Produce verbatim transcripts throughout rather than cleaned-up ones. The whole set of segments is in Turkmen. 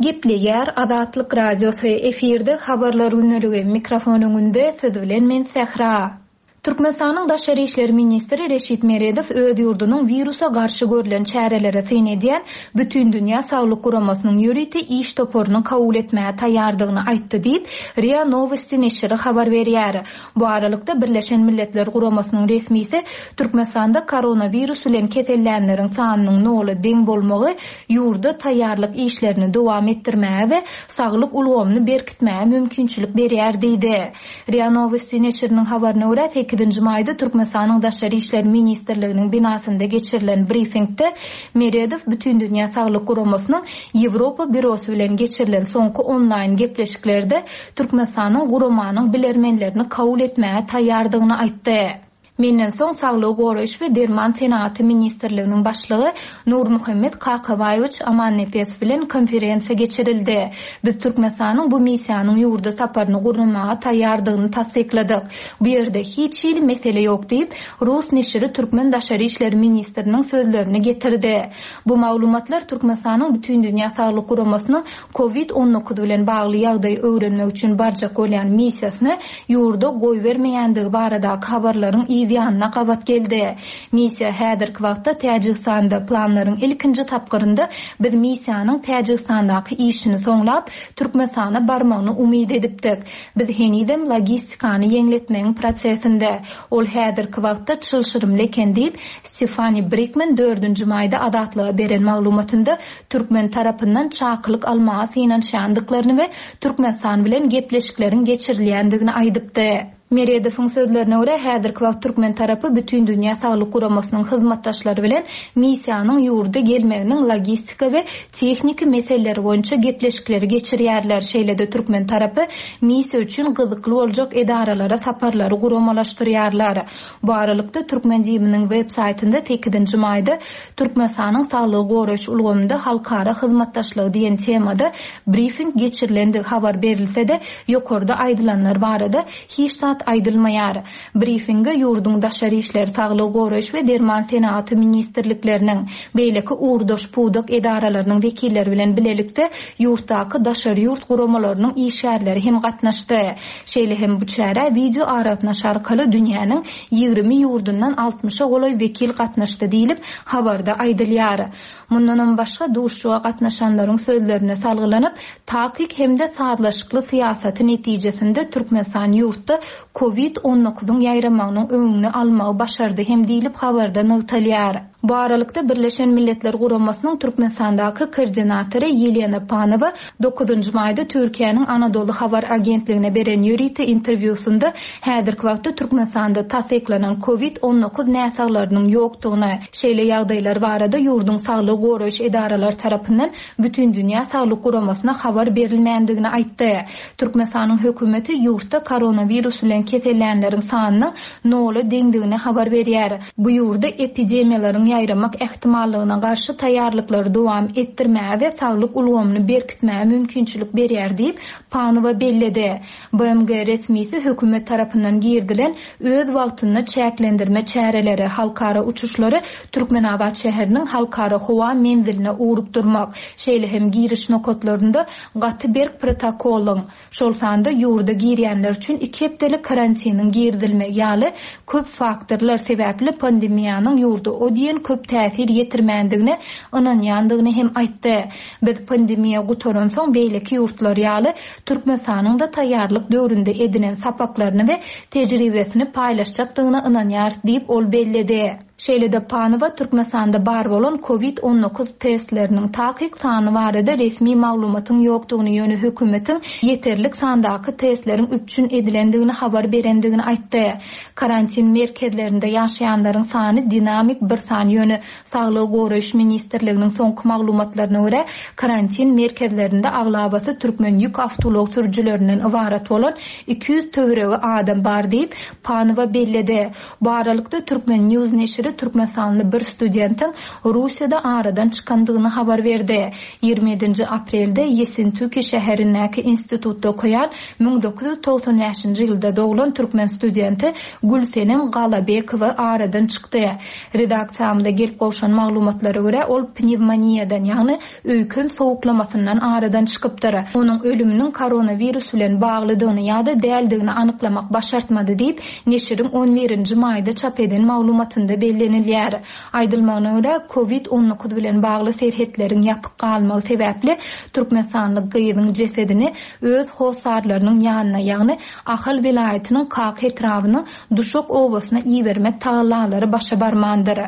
Gepleýär Azatlyk Radiosy, efirde Habarlar gündeligi, mikrofon öňünde siz bilen men Sähra. Türkmenistanyň Daşary işler ministri Reşit Meredow öz ýurdunyň wirusa garşy görlen çärelere syn edýän Bütindünýä saglyk guramasynyň ýörite iş toparyny kabul etmäge taýýardygyny aýtdy diýip, RIA Nowosti neşiri habar berýär. Bu aralykda, Birleşen Milletler Guramasynyň resmisi Türkmenistanda koronawirus bilen kesellänleriň sanynyň nola deň bolmagy ýurda taýýarlyk işlerini dowam etdirmäge we saglyk ulgamyny berkitmäge mümkinçilik berýär diýdi. RIA Nowosti neşiriniň habaryna görä, sekizinji maýda Türkmenistanyň Daşary işler ministrliginiň binasynda geçirilen brifingde Meredow Bütindünýä saglyk guramasynyň Ýewropa býurosy bilen geçirilen soňky onlaýn gepleşiklerde Türkmenistanyň guramanyň bilermenlerini kabul etmäge taýýardygyny aýtdy. Menden soň Saglygy goraýyş we derman senagaty ministrliginiň başlygy Nurmuhammet Kakabaýewiç Amannepesow bilen konferensiýa geçirildi. Biz Türkmenistanyň bu missiýanyň ýurda saparyny gurnamaga taýýardygyny tassykladyk. Bu ýerde hiç hili mesele ýok diýip, rus neşiri türkmen daşary işler ministriniň sözlerini getirdi. Bu maglumatlar Türkmenistanyň Bütindünýä saglyk guramasynyň Covid on dokuz bilen bagly ýagdaýy öwrenmek üçin barjak bolýan missiýasyny ýurda goýbermeýändigi baradaky habarlaryň yz ýanyna gabat geldi. Missiýa häzirki wagtda Täjigistanda, planlaryň ilkinji tapgyrynda biz missiýanyň Täjigistandaky işini soňlap, Türkmenistana barmagyny umyt edipdik. Biz henizem logistikany ýeňletmegiň prosesinde. Ol häzirki wagtda çylşyrymly eken diýip, Stefani Brikman dördünji maýda Azatlyga beren maglumatynda türkmen tarapyndan çakylyk almaga synanyşýandyklaryny we Türkmenistan bilen gepleşikleriň geçirilýändigini aýdypdy. Meredowyň sözlerine görä, häzirki wagt türkmen tarapy Bütindünýä saglyk guramasynyň hyzmatdaşlary bilen missiýanyň ýurda gelmeginiň logistika we tehniki meseleleri boýunça gepleşikleri geçirýärler. Şeýle-de türkmen tarapy missiýa üçin gyzykly boljak edaralara saparlary guramalaşdyrýarlar. Bu aralykda Türkmen DIM-niň web saýtynda sekizinji maýda Türkmenistanyň saglygy goraýyş ulgamynda halkara hyzmatdaşlygy diýen temada brifing geçirilendigi habar berilse-de, ýokarda aýdylanlar barada hiç zat aýdylmaýar. Brifinge ýurduň daşary işler, saglygy goraýyş we derman senagaty ministrlikleriniň, beýleki ugurdaş pudak edaralarynyň wekilleri bilen bilelikde ýurtdaky daşary ýurt guramalarynyň işgärleri hem gatnaşdy. Şeýle hem bu çärä wideo aragatnaşy arkaly dünýäniň ýigrimi ýurdundan altmyşa golaý wekil gatnaşdy diýlip habarda aýdylýar. Mundanam başga duşuşyga gatnaşanlaryň sözlerine salgylanyp, takyk hem-de sazlaşykly syýasaty netijesinde Türkmenistan ýurtda Covid on dokuzyň ýaýramagynyň öňüni almagy başardy hem diýlip habarda nygtalýar. Bu aralykda Birleşen Milletler Guramasynyň Türkmenistandaky koordinatory Ýelena Panowa dokuzynjy maýda Türkiýäniň Anadolu Habar Agentligine beren ýörite interwýusynda häzirki wagtda Türkmenistanda tassyklanan Covid on dokuz näsaglarynyň ýokdugyny, şeýle ýagdaýlar barada ýurduň saglygy goraýyş edaralary tarapyndan Bütindünýä saglyk guramasyna habar berilmändigini aýtdy. Türkmenistanyň hökümeti ýurtda koronawirus bilen kesellänleriň sanynyň nola deňdigini habar berýär. Bu ýurda epidemiýalaryň ýaýramak ähtimallygyna garşy taýýarlyklary dowam etdirmäge we saglyk ulgamyny berkitmäge mümkinçilik berýär diýip Panowa belledi. B M G resmisi hökümet tarapyndan girdilen öz wagtynda çäklendirme çäreleri, halkara uçuşlary Türkmenabat şäheriniň halkara howa menziline ugrukdurmak, şeýle hem giriş nokatlarynda gaty berk protokolyň, şol sanda ýurda girýänler üçin iki hepdelik karantiniň girizilmegi ýaly köp faktorlar sebäpli pandemiýanyň ýurda o diýen köp täsir ýetirmändigine ynanýandygyny hem aýtdy. Biz pandemiýa gutaransoň beýleki ýurtlar ýaly Türkmenistanyň da taýýarlyk döwründe edinen sapaklaryny we tejribesini paýlaşjakdygyna ynanýarys diýip ol belledi. Şeýle-de Panowa Türkmenistanda bar bolan Covid on dokuz testleriniň takyk sany barada resmi maglumatyň ýokdugyny, ýöne hökümetiň ýeterlik sandaky testleriň üpjün edilendigini habar berendigini aýtdy. Karantin merkezlerinde ýaşaýanlaryň sany dinamik bir san, ýöne Saglygy goraýyş ministrliginiň soňky maglumatlaryna görä, karantin merkezlerinde aglabasy türkmen ýük awtoulag sürüjilerinden ybarat bolan iki ýüz töweregi adam bar diýip, Panowa belledi. Bu aralykda Türkmen News neşiri neşiri türkmenistanly bir studentiň Russiýada aradan çykandygyny habar berdi. Ýigrimi ýedinji aprelde Ýessentuki şäherindäki institutda okaýan müň dokuz ýüz togsan bäşinji ýylda doglan türkmen studenti Gülsenem Galabekowa aradan çykdy. Redaksiýamyza gelip gowşan maglumatlara görä, ol pnewmoniýadan, ýagny öýken sowuklamasyndan aradan çykypdyr. Onuň ölüminiň koronawirus bilen baglydygyny ýa-da däldigini anyklamak başartmady diýip, neşiriň on birinji maýda çap eden maglumatynda bellenilýär. Aýdylmagyna görä, Covid on dokuz bilen bagly serhetleriň ýapyk galmagy sebäpli türkmenistanly gyzyň jesedini öz hossarlarynyň ýanyna, ýagny Ahal welaýatynyň Kaka etrabynyň Duşak obasyna ibermek tagallalary başa barmandyr.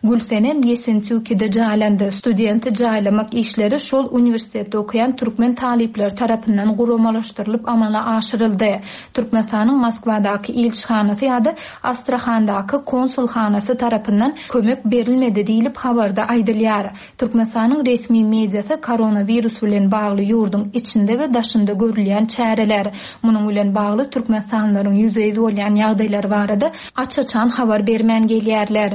Gülsenem Ýesentükide jaýlandy. Studenti jaýlamak işleri şol uniwersitetde okaýan türkmen talyplary tarapyndan guramalaşdyrylyp amala aşyryldy. Türkmenistanyň Moskwadaky ilçihanasy ýa-da Astrahandaky konsulhanasy tarapyndan kömek berilmedi diýlip habarda aýdylýar. Türkmenistanyň resmi mediasy koronawirus bilen bagly ýurduň içinde we daşynda görülýän çäreler, munuň bilen bagly türkmenistanlylaryň ýüzbe-ýüz bolýan ýagdaýlary barada aç-açan habar bermän gelýärler.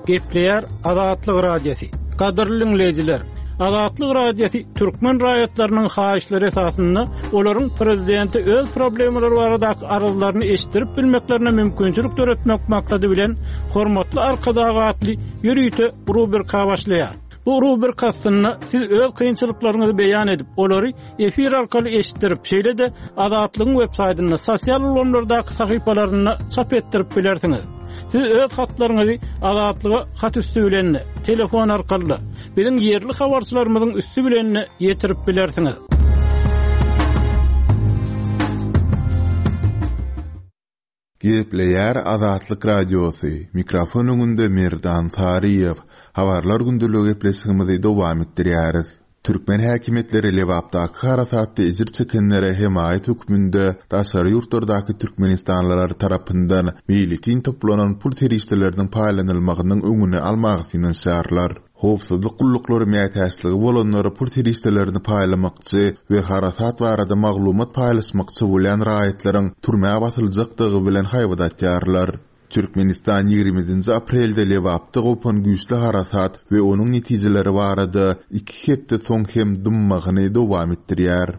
Gepleýär Azatlyk Radiosy. Gadyrly dinleýjiler, Azatlyk Radiosy türkmen raýatlarynyň haýyşlary esasynda olaryň prezidenti öz problemalary baradaky arzlaryny eşitdirip bilmeklerine mümkinçilik döretmek maksady bilen Hormatly Arkadag atly ýörite rubrika başlaýar. Bu rubrika aslynda siz öz kynçylyklaryňyzy beýan edip, olary efir arkaly eşitdirip, şeýle-de Azatlygyň web saýtynda, sosial ulgamlardaky sahypalarynda çap etdirip bilersiňiz. Siz öz hatlaryňyzy Azatlyga hat üstü bilen, telefon arkaly, biziň ýerli habarçylarymyzyň üstü bilen ýetirip bilersiňiz. Gepleýär Azatlyk Radiosy. Mikrofon öňünde Merdan Saryýew. Habarlar gündeligi gepleşigimizi dowam etdirýäris. Türkmen häkimiýetleri Lebapdaky harasatda ejir çekenlere hemaýat hökmünde daşary ýurtlardaky türkmenistanlylar tarapyndan meýletin toplanan pul serişdeleriniň paýlanylmagynyň öňüni almagy synanyşýarlar. Howpsuzlyk gulluklary mätäçligi bolanlara pul serişdelerini paýlamakçy we harasat barada maglumat paýlaşmakçy bolýan raýatlaryň türmä basyljakdygy bilen haýbat atýarlar. Türkmenistan ýigrimi ýedinji aprelde Lebapda gopan güýçli harasat we onuň netijeleri barada iki hepde soň hem dymmagyny dowam etdirýär.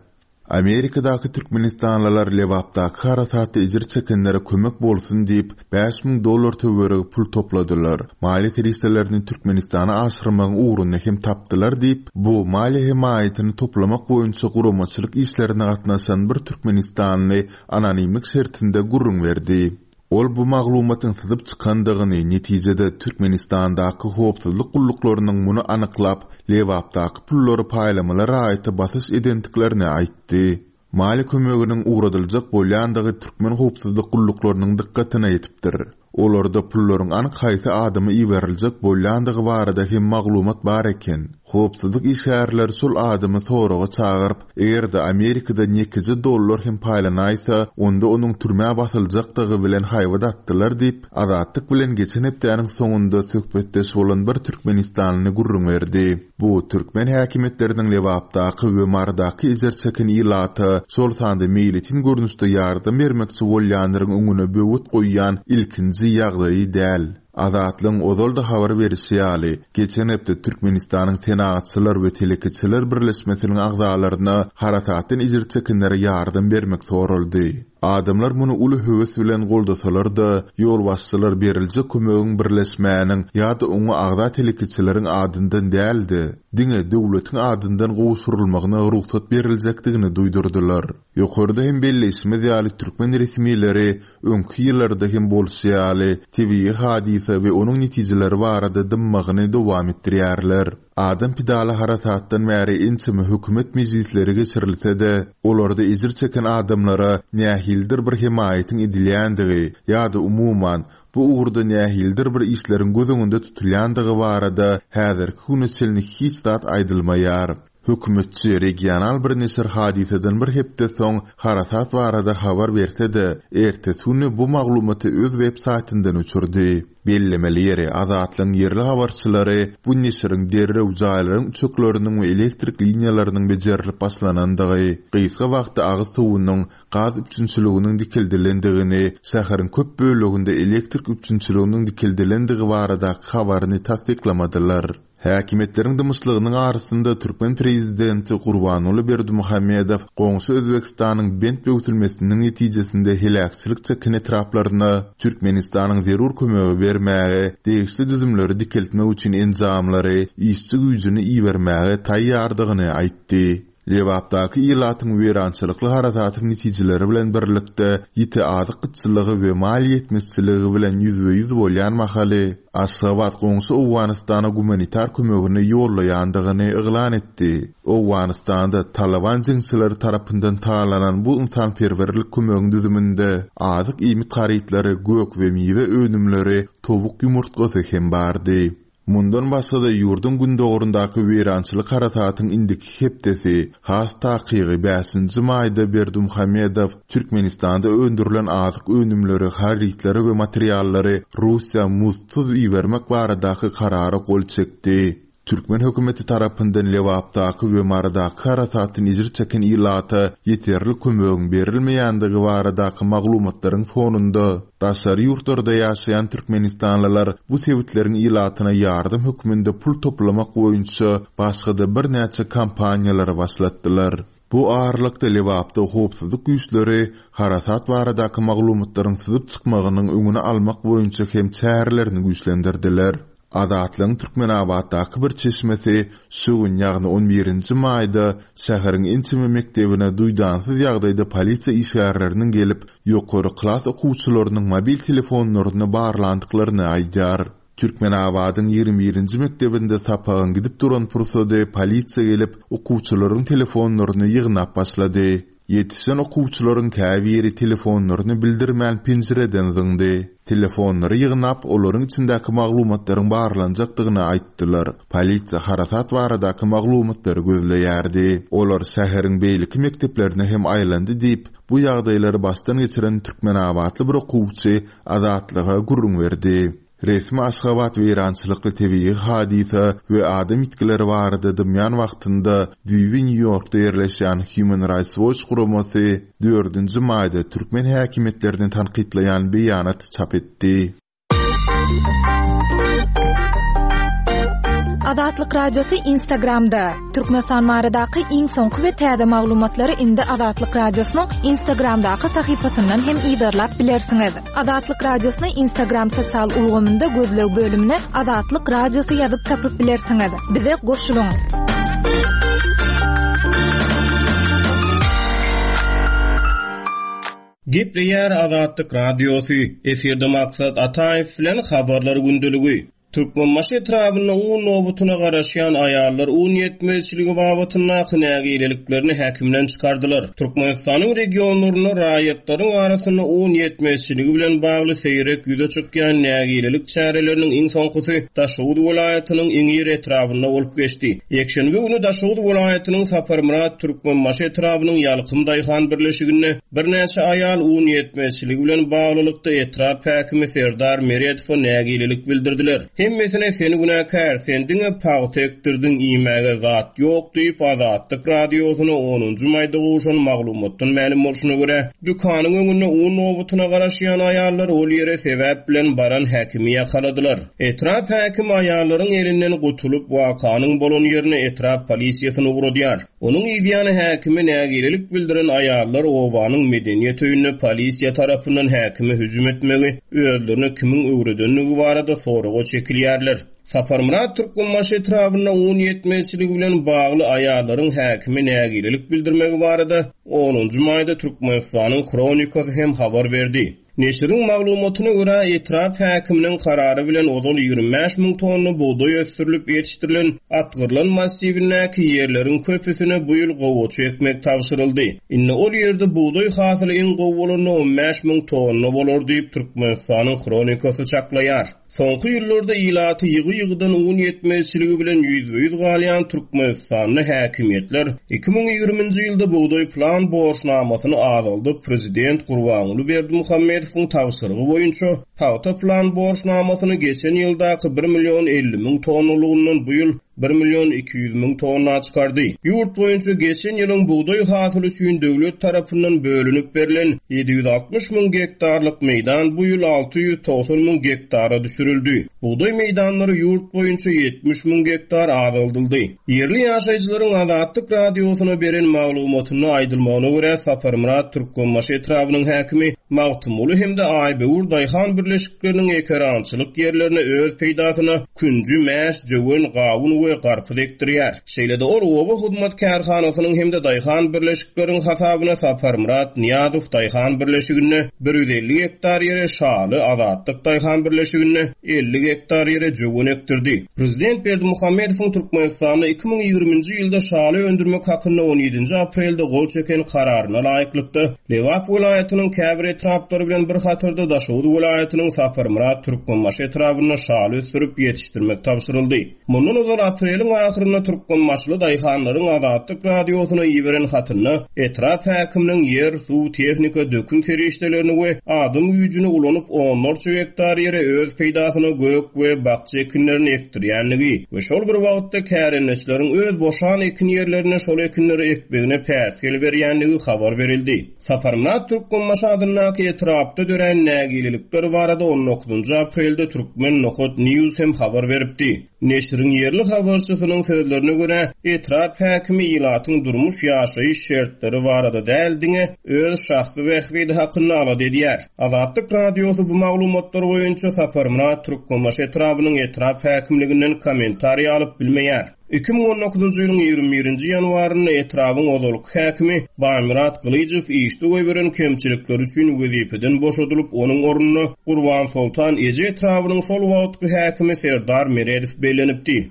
Amerikadaky türkmenistanlylar Lebapdaky harasatda ejir çekenlere kömek bolsun diýip bäş müň dollar töweregi pul topladylar. Maliýe serişdelerini Türkmenistana aşyrmagyň ugruny hem tapdylar diýip, bu maliýe hemaýatyny toplamak boýunça guramaçylyk işlerine gatnaşan bir türkmenistanly anonimlik şertinde gürrüň berdi. Ol bu maglumatyň syzyp çykandygyny, netijede Türkmenistandaky howpsuzlyk gulluklarynyň muny anyklap, Lebapdaky pullary paýlamaly raýata basyş edendiklerini aýtdy. Maliýe kömeginiň ugradyljak bolýandygy türkmen howpsuzlyk gulluklarynyň dykgatyna ýetipdir. Olarda pullaryň anyk haýsy adama iberiljek bolýandygy barada hem maglumat bar eken. Howpsuzlyk işgärleri şol adamy soraga çagyryp, eger-de Amerikadan ýekeje dollar hem paýlanaýsa, onda onuň türmä basyljakdygy bilen haýbat atdylar diýip, Azatlyk bilen geçen hepdäniň soňunda söhbetdeş bolan bir türkmenistanly gürrüň berdi. Bu türkmen häkimiýetleriniň Lebapdaky we Marydaky ejir çeken ilata, şol sanda meýletin görnüşde ýardam bermekçi bolýanlaryň öňüne böwet goýýan ilkinji ýagdaýy däl. Azatlygyň ozal-da habar berişi ýaly, geçen hepde Türkmenistanyň Senagatçylar we Telekeçiler Birleşmesiniň agzalaryna harasatdan ejir çekenlere ýardam bermek soraldy. Adamlar muny uly höwes bilen goldasalar-da, ýolbaşçylar beriljek kömegiň birleşmäniň ýa-da oňa agza telekeçileriň adyndan däldi, diňe döwletiň adyndan gowşurylmagyna rugsat beriljekdigini duýdurdylar. Ýokarda hem belleýşimiz ýaly türkmen resmileri öňki ýyllarda hem bolşy ýaly tebigy hadysa we onuň netijeleri barada dymmagyny dowam etdirýärler. Adam pidaly harasatdan bäri ençeme hökümet mejlisleri geçirilse-de, olarda ejir çeken adamlara nähilidir bir hemaýatyň edilýändigi ýa-da umuman bu ugurda nähilidir bir işleriň göz öňünde tutulýandygy barada häzirki güne çenli hiç zat aýdylmaýar. Hökümetçi regional bir neşir hadysadan bir hepde soň harasat barada habar berse-de, ertesi güni bu maglumaty öz web saýtyndan öçürdi. Bellemeli ýeri, Azatlygyň ýerli habarçylary bu neşiriň derrew jaýlaryň üçekleriniň we elektrik liniýalarynyň bejerilip başlanandygy, gysga wagtda agyz suwunyň, gaz üpjünçiliginiň dikeldilendigini, şäheriň köp böleginde elektrik üpjünçiliginiň dikeldilendigi baradaky habaryny tassyklamadylar. Häkimiýetleriň dymyşlygynyň arasynda türkmen prezidenti Gurbanguly Berdimuhamedow goňşy Özbegistanyň bent böwsülmesiniň netijesinde heläkçilik çeken etraplaryna Türkmenistanyň zerur kömegi bermäge, degişli düzümleri dikeltmek üçin enjamlary, işçi güýjüni ibermäge taýýardygyny aýtdy. Lebapdaky ilatyň weýrançylykly harasatyň netijeleri bilen birlikde ýiti azyk gytçylygy we maliýe ýetmezçiligi bilen ýüzbe-ýüz bolýan mahaly, Aşgabat goňşy Owganystana gumanitar kömegini ýollaýandygyny yglan etdi. Owganystanda Talyban jeňçileri tarapyndan talanan bu ynsanperwerlik kömegiň düzüminde azyk-iýmit harytlary, gök we miwe önümleri, towuk ýumurtgasy hem bardy. Mundan başga-da ýurduň gündogaryndaky weýrançylyk harasatyň indiki hepdesi, has takygy bäşinji maýda Berdimuhamedow Türkmenistanda öndürilen azyk önümleri, harytlary we materiallary Russiýa muzdsuz ibermek baradaky karara gol çekdi. Türkmen hökümeti tarapyndan Lebapdaky we Marydaky harasatdan ejir çeken ilata ýeterlik kömegiň berilmeýändigi baradaky maglumatlaryň fonunda, daşary ýurtlarda ýaşaýan türkmenistanlylar bu sebitleriň ilatyna ýardam hökmünde pul toplamak boýunça başga-da birnäçe kampaniýalary başlatdylar. Bu aralykda Lebapda howpsuzlyk güýçleri harasat baradaky maglumatlaryň syzyp çykmagynyň öňüni almak boýunça hem çärelerini güýçlendirdiler. Azatlygyň Türkmenabatdaky bir çeşmesi şu gün, ýagny on birinji maýda şäheriň ençeme mekdebine duýdansyz ýagdaýda polisiýa işgärleriniň gelip, ýokary klas okuwçylarynyň mobil telefonlaryny barlandyklaryny aýdýar. Türkmenabadyň ýigrimi birinji mekdebinde sapagyň gidip duran pursady polisiýa gelip, okuwçylaryň telefonlaryny ýygnap başlady. Ýetişen okuwçylaryň käbiri telefonlaryny bildirmän penjireden zyňdy. Telefonlary ýygnap, olaryň içindäki maglumatlaryň barlanjakdygyny aýtdylar. Polisiýa harasat baradaky maglumatlary gözleýärdi. Olar şäheriň beýleki mekdeplerine hem aýlandy diýip, bu ýagdaýlary başdan geçiren türkmenabatly bir okuwçy Azatlyga gürrüň berdi. Resmi Aşgabat weýrançylykly tebigy hadysa we adam ýitgileri barada dymýan wagtynda düýbi Nýu-Ýorkda ýerleşýän Human Rights Watch guramasy dördünji maýda türkmen häkimiýetlerini tankytlaýan beýanat çap etdi. Azatlyk Radiosy Instagramda. Türkmenistan baradaky iň soňky we täze maglumatlary indi Azatlyk Radiosynyň Instagramdaky sahypasyndan hem yzarlap bilersiňiz. Azatlyk Radiosyny Instagram sosial ulgamynda gözleg bölümine Azatlyk Radiosy ýazyp tapyp bilersiňiz. Bize goşulyň. Gepleýär Azatlyk Radiosy. Efirde Maksat Ataýew bilen Habarlar gündeligi. Türkmenbaşy etrabynda un nobatyna garaşýan aýallar un ýetmezçiligi babatyndaky nägileliklerini häkimden çykardylar. Türkmenistanyň regionlarynda raýatlaryň arasynda un ýetmezçiligi bilen bagly seýrek ýüze çykýan nägilelik çäreleriniň iň soňkusy Daşoguz welaýatynyň Iňir etrabynda bolup geçdi. Ýekşenbe güni Daşoguz welaýatynyň Saparmyrat Türkmenbaşy etrabynyň Ýalkym Daýhan birleşiginde birnäçe aýal un ýetmezçiligi bilen baglylykda etrap häkimi Serdar Meredowa nägilelik bildirdiler. Hemmesine seni günäkär, sen diňe pagta ekdirdiň iýmäge zat ýok diýip Azatlyk radiosyna onunjy maýda gowşan maglumatdan mälim bolşuna görä, dükanyň öňünde un nobatyna garaşýan aýallar ol ýere sebäp bilen baran häkimi ýakaladylar. Etrap häkimi aýallaryň elinden gutulyp wakanyň bolan ýerine etrap polisiýasyny ugradýar. Onuň ýany häkimi nägilelik bildiren aýallar obanyň medeniýet öýünde polisiýa tarapyndan häkime hüjüm etmegi özlerine kimiň öwredenligi barada soraga çekilýärler. Saparmyrat Türkmenbaşy etrabynda un ýetmezçiligi bilen bagly aýallaryň häkime nägilelik bildirmegi barada onunjy maýda Türkmenistanyň Hronikasy hem habar berdi. Neşiriň maglumatyna görä etrap häkiminiň karary bilen ozal ýigrimi bäş müň tonna bugdaý ösdürilip ýetişdirilen Atgyrlan massiwindäki ýerleriň köpüsine bu ýyl gowaça ekmek tabşyryldy. Indi ol ýerde bugdaý hasyly iň gowy bolanda on bäş müň tonna bolar diýip Türkmenistanyň Hronikasy çaklaýar. Soňky ýyllarda ilaty ýygy-ýygydan un ýetmezçiligi bilen ýüzbe-ýüz galýan Türkmenistanda häkimiýetler iki müň ýigriminji ýylda bugdaý plan borçnamasyny azaldyp, prezident Gurbanguly Berdimuhamedowyň tabşyrygy boýunça pagta plan borçnamasyny geçen ýyldaky bir million elli müň tonnalygyndan bu ýyl bir million iki ýüz müň tonna çykardy. Ýurt boýunça geçen ýylyň bugdaý hasyly üçin döwlet tarapyndan bölünip berlen ýedi ýüz altmyş müň gektarlyk meýdan bu ýyl alty ýüz togsan müň gektara düşürildi. Bugdaý meýdanlary ýurt boýunça ýetmiş müň gektar azaldyldy. Ýerli ýaşaýjylaryň Azatlyk radiosyna beren maglumatynda aýdylmagyna görä Saparmyrat Türkmenbaşy etrabynyň häkimi Magtymguly hem-de Aýböwür daýhan birleşikleriniň ekerançylyk ýerlerine öz peýdasyna künji, mäş, jöwen, gawun we garpyz ekdirýär. Şeýle-de ol oba hyzmat kärhanasynyň hem-de daýhan birleşikleriň hasabyna Saparmyrat Niýazow daýhan birleşiginde bir ýüz elli gektar ýere Şaly Azatlyk daýhan birleşiginde elli gektar ýere jöwen ekdirdi. Prezident Berdimuhamedowyň Türkmenistanda iki müň ýigriminji ýylda şaly öndürmek hakynda on ýedinji aprelde gol çeken kararyna laýyklykda Lebap welaýatynyň käbir etraplary bilen bir hatarda Daşoguz welaýatynyň Saparmyrat Türkmenbaşy etrabynda şaly ösdürip ýetişdirmek tabşyryldy. Mundan ozal apreliň ahyrynda Türkmenbaşyly daýhanlaryň Azatlyk radiosyna iberen hatynda etrap häkiminiň ýer, suw, tehnika, dökün serişdelerini we adam güýjüni ulanyp onlarça gektar ýere öz peýdasyna gök we bakja ekinlerini ekdirýänligi we şol bir wagtda kärendeçileriň öz boşan ekin ýerlerine şol ekinleri ekmegine päsgel berýänligi habar berildi. Saparmyrat Türkmenbaşy adyndaky etrapda dörän nägilelikler barada on dokuzynjy aprelde Türkmen Nokat News hem habar beripdi. Neşiriň ýerli habarçysynyň sözlerine görä, etrap häkimi ilatyň durmuş ýaşaýyş şertleri barada däl diňe öz şahsy bähbidi hakynda alada edýär. Azatlyk radiosy bu maglumatlar boýunça Saparmyrat Türkmenbaşy etrabynyň etrap häkimliginden kommentariý alyp bilmeýär. Iki müň on dokuzynjy ýylyň ýigrimi birinji ýanwarynda etrabyň ozalky häkimi Baýmyrat Gylyjow işde goýberen kemçilikleri üçin wezipeden boşadylyp, onuň ornuna Gurban Soltan Eje etrabynyň şol wagtky häkimi Serdar Meredow bellenipdi.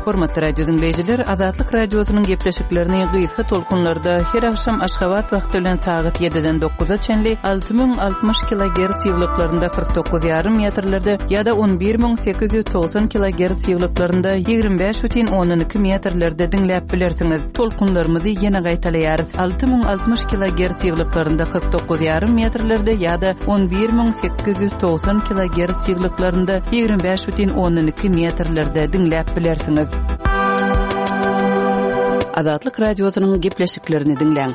Hormatly radio dinleýjiler, Azatlyk radiosynyň gepleşiklerini gysga tolkunlarda her akşam Aşgabat wagty bilen sagat ýediden dokuza çenli alty müň altmyş kilogertz ýyglyklarynda kyrk dokuz ýarym metrlerde ýa-da on bir müň sekiz ýüz togsan kilogertz ýyglyklarynda ýigrimi bäş bütin ondan iki metrlerde diňläp bilersiňiz. Tolkunlarymyzy ýene gaýtalaýarys. Alty müň altmyş kilogertz ýyglyklarynda kyrk dokuz ýarym metrlerde ýa-da on bir müň sekiz ýüz togsan kilogertz ýyglyklarynda ýigrimi bäş bütin ondan iki metrlerde diňläp bilersiňiz. Azatlyk radiosynyň gepleşiklerini diňläň.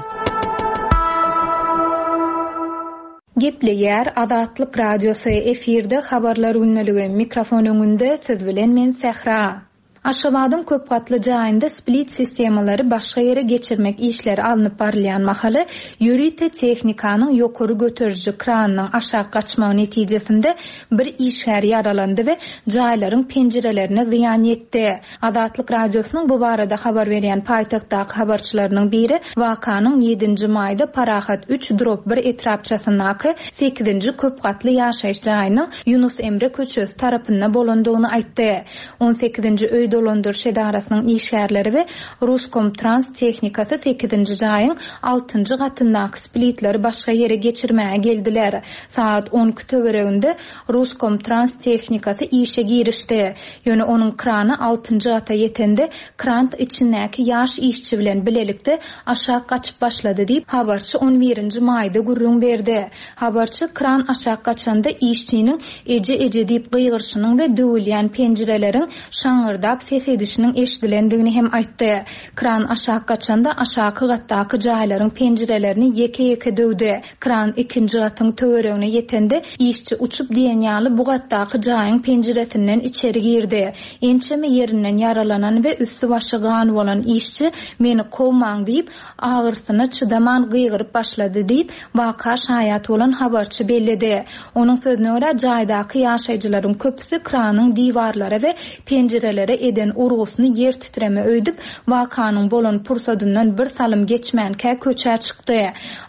Gepleýär Azatlyk radiosy efirde habarlar gündeligi mikrofon öňünde siz bilen men Sähra. Aşgabadyň köp gatly jaýynda split sistemalary başga ýere geçirmek işleri alnyp barylýan mahaly ýörite tehnikanyň ýokary göteriji kranynyň aşak gaçmagy netijesinde bir işgär ýaralandy we jaýlaryň penjirelerine zyýan ýetdi. Azatlyk radiosynyň bu barada habar berýän paýtagtdaky habarçylarynyň biri wakanyň ýedinji maýda Parahat üç drop bir etrapçasyndaky sekizinji köp gatly ýaşaýyş jaýynyň Ýunus Emre köçesi tarapynda bolandygyny aýtdy. On sekizinji öý dolandyryş edarasynyň işgärleri we Ruskomtrans tehnikasy sekizinji jaýyň altynjy gatyndaky splitleri başga ýere geçirmäge geldiler. Saat on iki töwereginde Ruskomtrans tehnikasy işe girişdi. Ýöne onuň krany altynjy gata ýetende krant içindäki ýaş işçi bilen bilelikde aşak gaçyp başlady diýip habarçy on birinji maýda gürrüň berdi. Habarçy kran aşak gaçanda işçiniň eje eje diýip gygyryşynyň we döwülýän penjireleriň şaňyrdap ses edişiniň eşidilendigini hem aýtdy. Kran aşak gaçanda aşaky gatdaky jaýlaryň penjirelerini ýeke-ýeke döwdi. Kran ikinji gatyň töweregine ýetende işçi uçup diýen ýaly bu gatdaky jaýyň penjiresinden içeri girdi. Ençeme ýerinden ýaralanan we üstü başy gan bolan işçi meni kowmaň diýip agyrysyna çydaman gygyryp başlady diýip waka şaýat bolan habarçy belledi. Onuň sözüne görä jaýdaky ýaşaýjylaryň köpüsi kranyň diwarlara we penjirelere eden urgusyny ýer titreme öýdüp, wakanyň bolan pursadyndan bir salym geçmänkä köçä çykdy.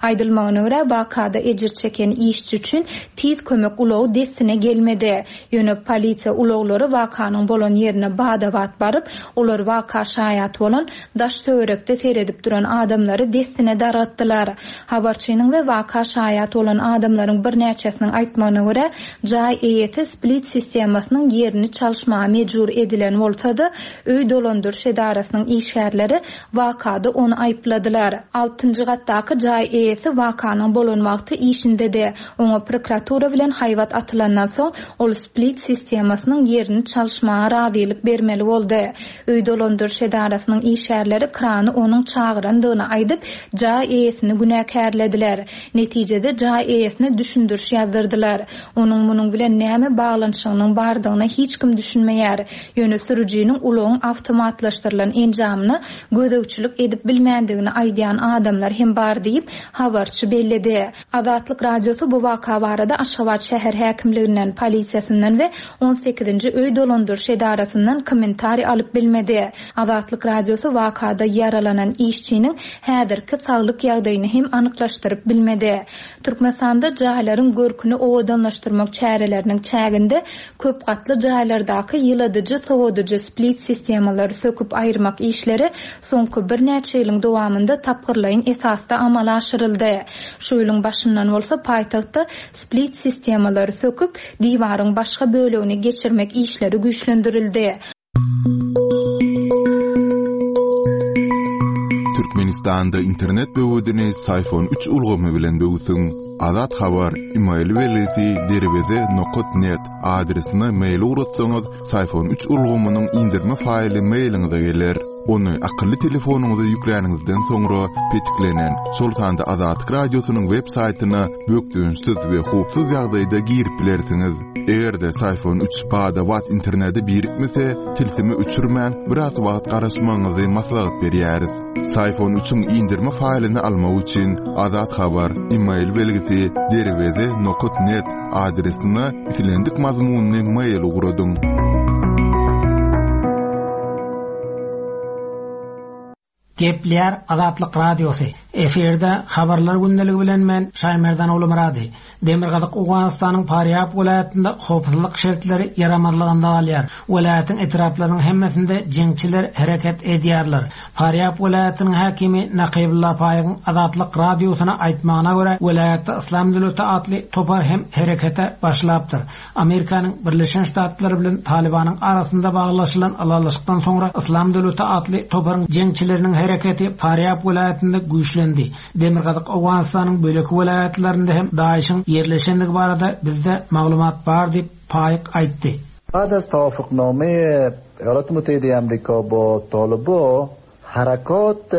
Aýdylmagyna görä, wakada ejir çeken işçi üçin tiz kömek ulagy dessine gelmedi. Ýöne polisiýa ulaglary wakanyň bolan ýerine bada-bat baryp, olar waka şaýat bolan daş-töwerekde seredip duran adamlary dessine dargatdylar. Habarçynyň we waka şaýat bolan adamlaryň birnäçesiniň aýtmagyna görä, jaý eýesi split sistemasynyň ýerini çalyşmaga mejbur edilen bolsa-da, öý dolandyryş edarasynyň işgärleri wakada ony aýypladylar. Altynjy gatdaky jaý eýesi wakanyň bolan wagty işindedi. Oňa prokuratura bilen haýbat atylandan soň, ol split sistemasynyň ýerini çalyşmaga razylyk bermeli boldy. Öý dolandyryş edarasynyň işgärleri krany onuň çagyrandygyny aýdyp, jaý eýesini günäkärlediler. Netijede jaý eýesine düşündiriş ýazdyrdylar. Onuň munuň bilen näme baglanyşygynyň bardygyna hiç kim düşünmeýär. Ýöne sürüjiniň ulagyň awtomatlaşdyrylan enjamyna gözegçilik edip bilmändigini aýdýan adamlar hem bar diýip, habarçy belledi. Azatlyk Radiosy bu waka barada Aşgabat şäher häkimliginden, polisiýasyndan we on sekizinji öý dolandyryş edarasyndan kommentariý alyp bilmedi. Azatlyk Radiosy wakada ýaralanan işçiniň häzirki saglyk ýagdaýyny hem anyklaşdyryp bilmedi. Türkmenistanda jaýlaryň görküni owadanlaşdyrmak çäreleriniň çäginde köp gatly jaýlardaky ýyladyjy, sowadyjy split sistemalary söküp aýyrmak işleri soňky birnäçe ýylyň dowamynda tapgyrlaýyn esasda amala aşyryldy. Şu ýylyň başyndan bolsa paýtagtda split sistemalary söküp, diwaryň başga bölegini geçirmek işleri güýçlendirildi. Türkmenistanda internet böwedini Syfon üç ulgamy bilen böwsüň. Azat Habar, e-mail belgisi derweze nokat net adresine mail ugratsaňyz, Syfon üç ulgamynyň indirme faýly mailiňize geler. Ony akylly telefonyňyza ýükläniňizden soňra petiklenen, şol sanda Azatlyk Radiosynyň web saýtyna bökdençsiz we howpsuz ýagdaýda girip bilersiňiz. Eger-de Syfon üç bada-bat internete birikmese, tilsimi öçürmän biraz wagt garaşmagyňyzy maslahat berýäris. Syfon üçiň indirme faýlyny almak üçin Azat Habar, e-mail belgisi derweze nokat net adresine islendik mazmunyny mail ugradyň. Gepleýär Azatlyk Radiosy. Efirde habarlar gündeligi bilen men Şaýmerdan Ulumyrady. Demirgazyk Owganystanyň Farýab welaýatynda howpsuzlyk şertleri ýaramazlygynda galýar. Welaýatyň etraplarynyň hemmesinde jeňçiler hereket edýärler. Farýab welaýatynyň häkimi Nakybulla Paýyň Azatlyk Radiosyna aýtmagyna görä, welaýatda Yslam döwleti atly topar hem herekete başlapdyr. Amerikanyň Birleşen Ştatlary bilen Talibanyň arasynda baglaşylan ylalaşykdan soňra Yslam döwleti atly toparyň jeňçileriniň hereketi Farýab welaýatynda güýçlendi. Demirgazyk Owganystanyň böleki welaýatlarynda hem DAEŞ-iň ýerleşendigi barada bizde maglumat bar diýip Paýyk aýtdy. بعد از توافقنامه ایالات متحده امریکا با طالبان حرکات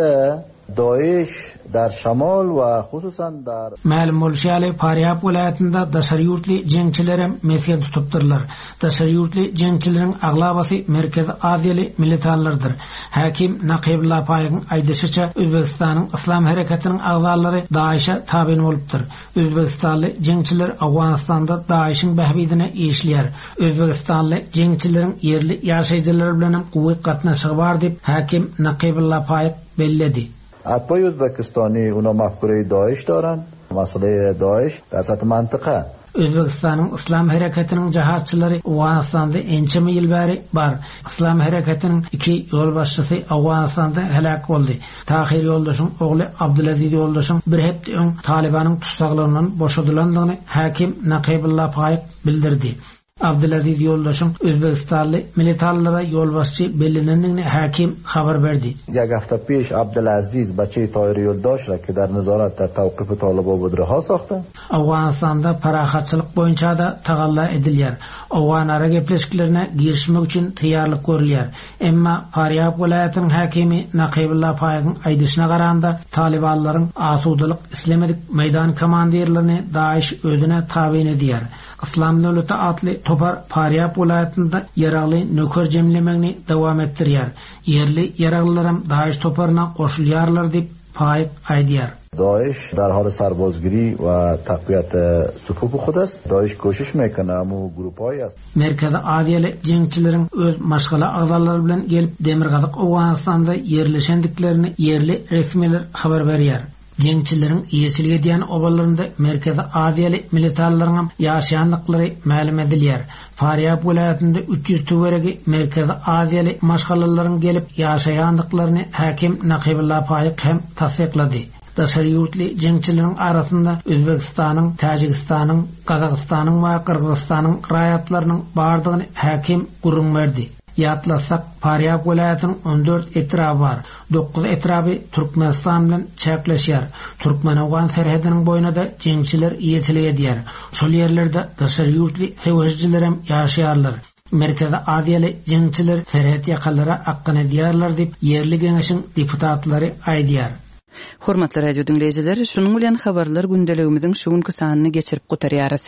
داعش در شمال و خصوصا در Mälim bolşy ýaly Farýab welaýatynda daşary ýurtly jeňçiler hem mesgen tutupdyrlar. Daşary ýurtly jeňçileriň aglabasy Merkezi Aziýaly militanlardyr. Häkim Nakybulla Paýyň aýdyşyça Özbegistanyň Yslam hereketiniň agzalary DAEŞ-e tabyn bolupdyr. Özbegistanly jeňçiler Owganystanda DAEŞ-iň bähbidine işleýär. Özbegistanly jeňçileriň ýerli ýaşaýjylary bilen hem gowy gatnaşygy bar diýip Häkim Nakybulla Paýyk belledi. اتباع ازبکستانی اونا مفکوره داعش دارن. مسئله داعش در سطح منطقه. Özbegistanyň Yslam hereketiniň jahatçylary Owganystanda ençeme ýyl bäri bar. Yslam hereketiniň iki ýolbaşçysy Owganystanda helak boldy. Tahir ýoldaşyň ogly Abdulaziz ýoldaşyň bir hepde öň Talibanyň tutsaglygyndan boşadylandygyny häkim Nakybulla Paýyk bildirdi. Abdulaziz ýoldaşyň Özbegistanly militanlara ýolbaşçy bellenendigini häkim habar berdi. یک هفته پیش عبدالعزیز بچه طاهر یولداش را که در نظارت در توقیف طالبان بود رها ساخته. Owganystanda parahatçylyk boýunça da tagalla edilýär. Owganara gepleşiklerine girişmek üçin taýýarlyk görülýär. Emma Farýab welaýatynyň häkimi Nakybulla Paýyň aýdyşyna garanda Talibanlaryň asudalyk islemedik meýdan komandirlerini DAEŞ özüne tabyn edýär. Yslam döwleti atly topar Farýab welaýatynda ýaragly nöker jemlemegini dowam etdirýär. Ýerli ýaraglylaram DAEŞ toparyna goşulýarlar diýip Paýyk aýdýar. داعش در حال سربازگیری و تقویت صفوف خود است. داعش کوشش میکنه امو گروپ‌های است. Merkezi Aziýaly jeňçileriň öz maşgala agzalary bilen gelip Demirgazyk Owganystanda ýerleşendiklerini ýerli resmiler habar berýär. Jeňçileriň eýeçilik edýän obalarynda Merkezi Aziýaly militarlaryň ýaşaýandyklary mälim edilýär. Farýab welaýatynda üç ýüz töweregi Merkezi Aziýaly maşgalalaryň gelip ýaşaýandyklaryny häkim Nakybulla Faýyk hem tassyklady. Daşary ýurtly jeňçileriň arasynda Özbegistanyň, Täjigistanyň, Gazagystanyň we Gyrgyzystanyň raýatlarynyň bardygyny häkim gürrüň berdi. Ýatlasak, Farýab welaýatynyň on dört etraby bar. Dokuz etraby Türkmenistan bilen çäkleşýär. Türkmen-Owgan serhediniň boýuna-da jeňçiler eýeçilik edýär. Şol ýerlerde daşary ýurtly söweşijiler hem ýaşaýarlar. Merkezi Aziýaly jeňçiler serhet ýakalara akgyn edýärler diýip ýerli geňeşiň deputatlary aýdýar. Hormatly radio diňleýjiler, şunuň bilen habarlar gündeligimiziň şu günki sanyny geçirip gutarýarys.